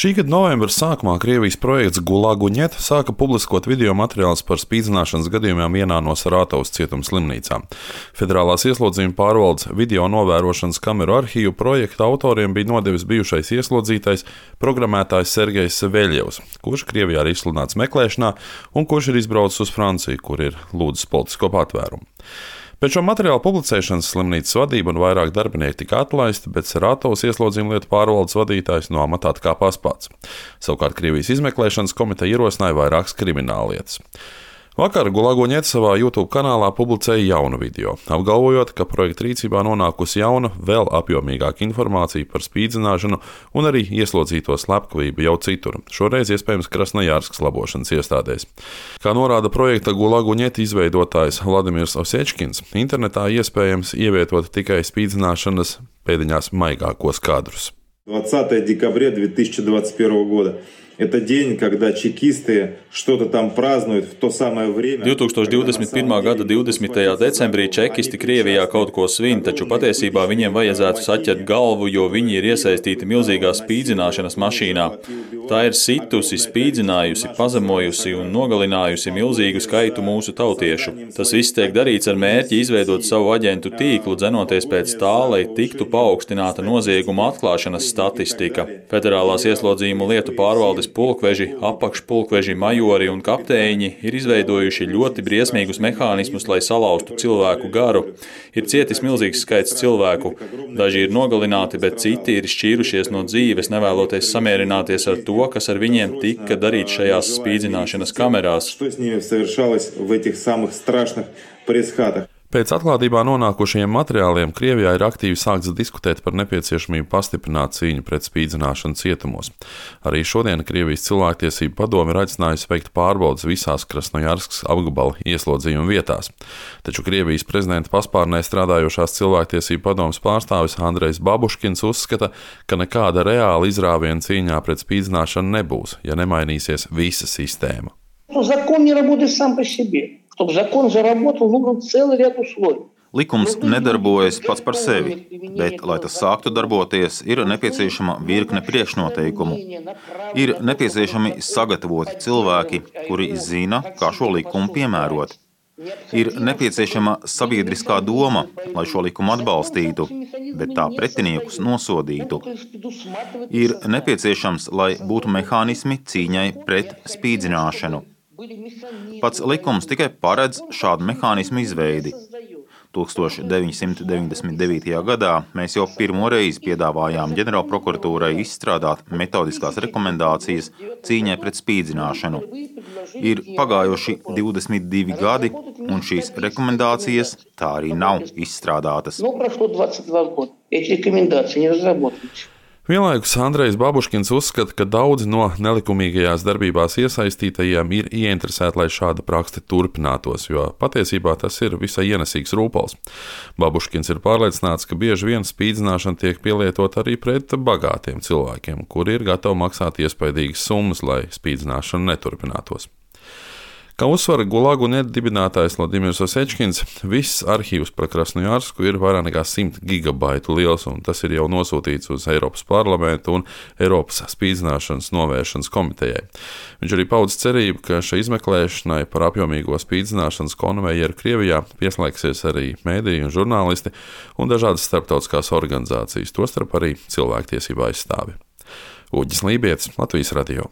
Šī gada novembra sākumā Krievijas projekts Gulaguņet sāka publiskot video materiālus par spīdzināšanas gadījumiem vienā no Saratovas cietuma slimnīcām. Federālās ieslodzījuma pārvaldes video novērošanas kameru arhīvu projekta autoriem bija nodevis bijušais ieslodzītais programmētājs Sergejs Saveļjevs, kurš Krievijā ir izsludināts meklēšanā un kurš ir izbraucis uz Franciju, kur ir lūdzis politisko patvērumu. Pēc šo materiālu publicēšanas slimnīcas vadība un vairāk darbinieki tika atlaisti, bet Saratovas ieslodzījuma lietu pārvaldes vadītājs no amatā atkāpās pats. Savukārt Krievijas izmeklēšanas komiteja ierosināja vairākas krimināllietas. Vakar Gulaguņet savā YouTube kanālā publicēja jaunu video, apgalvojot, ka projekta rīcībā nonākusi jauna, vēl apjomīgāka informācija par spīdzināšanu un arī ieslodzīto slepkavību jau citur, šoreiz iespējams Krasnojarskas labošanas iestādēs. Kā norāda projekta Gulaguņet izveidotājs Vladimirs Osečkins, internetā iespējams ievietot tikai spīdzināšanas pēdiņās maigākos kadrus. 20 декабря 2021 года. Это день, когда чекисты что-то там празднуют в то самое время. 2021. gada 20. decembrī čekisti Krievijā kaut ko svin, taču patiesībā viņiem vajadzētu saķert galvu, jo viņi ir iesaistīti milzīgā spīdzināšanas mašīnā. Tā ir situsi, spīdzinājusi, pazemojusi un nogalinājusi milzīgu skaitu mūsu tautiešu. Tas viss tiek darīts ar mērķi izveidot savu aģentu tīklu, dzenoties pēc tā, lai tiktu paaugstināta nozieguma atklāšanas statistika. Federālās ieslodzījuma lietu pārvaldes pulkveži, apakšpulkveži, majori un kapteiņi ir izveidojuši ļoti briesmīgus mehānismus, lai salauztu cilvēku garu. Ir cietis milzīgs skaits cilvēku. Daži ir nogalināti, bet citi ir šķīrušies no dzīves, nevēloties samierināties ar to, kas ar viņiem tika darīts šajās spīdzināšanas kamerās. Pēc atklātībā nonākušajiem materiāliem Krievijā ir aktīvi sākts diskutēt par nepieciešamību pastiprināt cīņu pret spīdzināšanu cietumos. Arī šodien Krievijas cilvēktiesību padome ir aicinājusi veikt pārbaudes visās Krasnojarskas apgabala ieslodzījuma vietās. Taču Krievijas prezidenta paspārnē strādājošās cilvēktiesību padomes pārstāvis Andrejs Babuškins uzskata, ka nekāda reāla izrāviena cīņā pret spīdzināšanu nebūs, ja nemainīsies visa sistēma. Likums nedarbojas pats par sevi, bet, lai tas sāktu darboties, ir nepieciešama virkne priekšnoteikumu. Ir nepieciešami sagatavoti cilvēki, kuri zina, kā šo likumu piemērot. Ir nepieciešama sabiedriskā doma, lai šo likumu atbalstītu, bet tā pretiniekus nosodītu. Ir nepieciešams, lai būtu mehānismi cīņai pret spīdzināšanu. Pats likums tikai paredz šādu mehānismu izveidi. 1999. gadā mēs jau pirmo reizi piedāvājām ģenerālprokuratūrai izstrādāt metodiskās rekomendācijas cīņai pret spīdzināšanu. Ir pagājuši 22 gadi, un šīs rekomendācijas tā arī nav izstrādātas. Vienlaikus Andrejs Babuškins uzskata, ka daudzi no nelikumīgajās darbībās iesaistītajiem ir ieinteresēti, lai šāda prakse turpinātos, jo patiesībā tas ir visai ienesīgs rūpals. Babuškins ir pārliecināts, ka bieži vien spīdzināšana tiek pielietot arī pret bagātiem cilvēkiem, kuri ir gatavi maksāt iespaidīgas summas, lai spīdzināšana neturpinātos. Kā uzsver Gulaguņet dibinātājs Vladimirs Osečkins, viss arhīvs par Krasnojarsku ir vairāk nekā 100 gigabaitu liels, un tas ir jau nosūtīts uz Eiropas parlamentu un Eiropas spīdzināšanas novēršanas komitejai. Viņš arī paudz cerību, ka šai izmeklēšanai par apjomīgo spīdzināšanas konvejeru Krievijā pieslēgsies arī mēdīji un žurnālisti un dažādas starptautiskās organizācijas, tostarp arī cilvēktiesību aizstāvi. Uģis Lībietis, Latvijas radio.